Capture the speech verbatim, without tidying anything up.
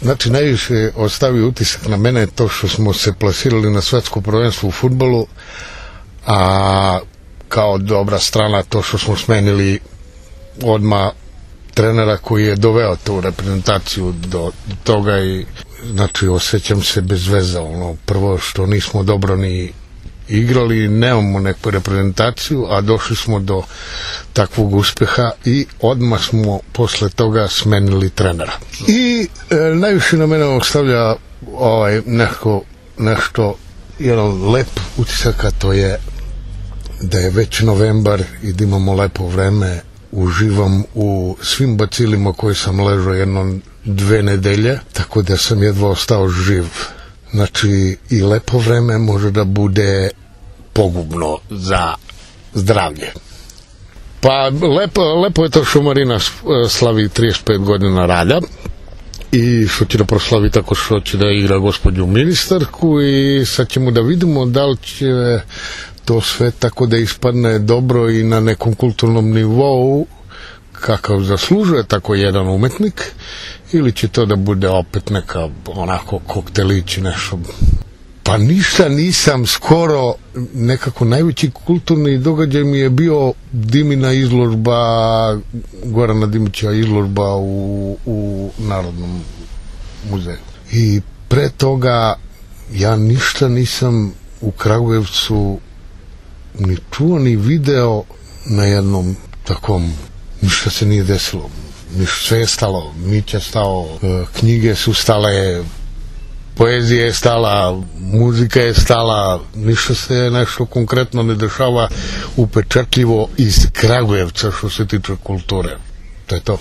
Znači, najviše ostavio utisak na mene to što smo se plasirali na svetsko prvenstvo u fudbalu, a kao dobra strana to što smo smenili odmah trenera koji je doveo tu reprezentaciju do toga i znači osjećam se bez veze, ono, prvo što nismo dobro ni igrali, nemamo neku reprezentaciju, a došli smo do takvog uspeha i odmah smo posle toga smenili trenera. I e, najviše na mene ostavlja ovaj, nešto, nešto jedan lep utisak, a to je da je već novembar i da imamo lepo vreme. Uživam u svim bacilima koji sam ležao jedno dve nedelje, tako da sam jedva ostao živ. Znači, i lepo vreme može da bude pogubno za zdravlje. Pa, lepo, lepo je to što Marina slavi trideset pet godina rada i što će da proslavi tako što će da igra gospođu ministarku i sad ćemo da vidimo da li će to sve tako da ispadne dobro i na nekom kulturnom nivou kakav zaslužuje tako jedan umetnik, ili će to da bude opet neka onako koktelić i nešto. Pa ništa nisam skoro, nekako najveći kulturni događaj mi je bio Dimina izložba, Gorana Dimića izložba u, u Narodnom muzeju. I pre toga ja ništa nisam u Kragujevcu ni čuo ni video na jednom takom, ništa se nije desilo, ništa, sve je stalo, Mića stao, knjige su stale, poezija je stala, muzika je stala, ništa se nešto konkretno ne dešava upečatljivo iz Kragujevca što se tiče kulture. To je to.